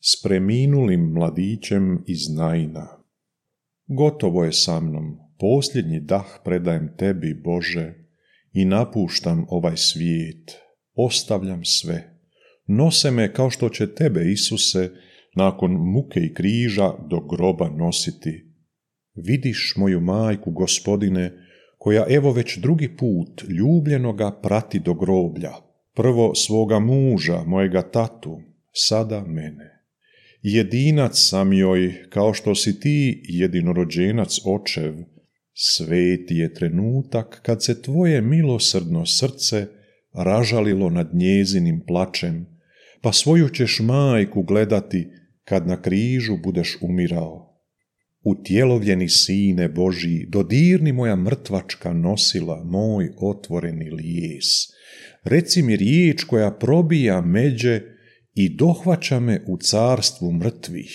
s preminulim mladićem iz Naina. Gotovo je sa mnom, posljednji dah predajem tebi, Bože, i napuštam ovaj svijet, ostavljam sve. Nose me kao što će tebe, Isuse, nakon muke i križa do groba nositi. Vidiš moju majku, Gospodine, koja evo već drugi put ljubljenoga prati do groblja. Prvo svoga muža, mojega tatu, sada mene. Jedinac sam joj, kao što si ti jedinorođenac očev. Sveti je trenutak kad se tvoje milosrdno srce ražalilo nad njezinim plačem, pa svoju ćeš majku gledati kad na križu budeš umirao. Utjelovljeni Sine Božji, dodirni moja mrtvačka nosila, moj otvoreni lijes. Reci mi riječ koja probija međe i dohvaća me u carstvu mrtvih.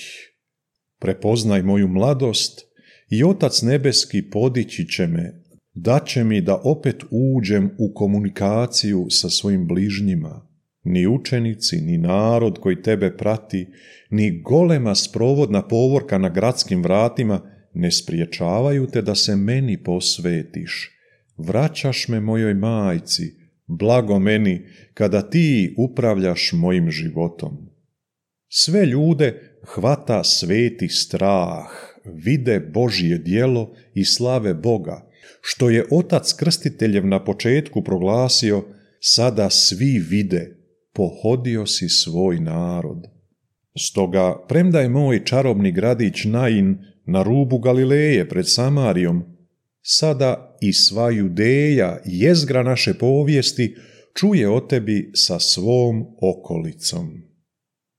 Prepoznaj moju mladost i Otac nebeski podići će me, daće mi da opet uđem u komunikaciju sa svojim bližnjima. Ni učenici, ni narod koji tebe prati, ni golema sprovodna povorka na gradskim vratima ne spriječavaju te da se meni posvetiš. Vraćaš me mojoj majci, blago meni kada ti upravljaš mojim životom. Sve ljude hvata sveti strah, vide Božje djelo i slave Boga, što je Otac Krstiteljev na početku proglasio, sada svi vide, pohodio si svoj narod. Stoga, premda je moj čarobni gradić Nain na rubu Galileje pred Samarijom, sada i sva Judeja, jezgra naše povijesti, čuje o tebi sa svom okolicom.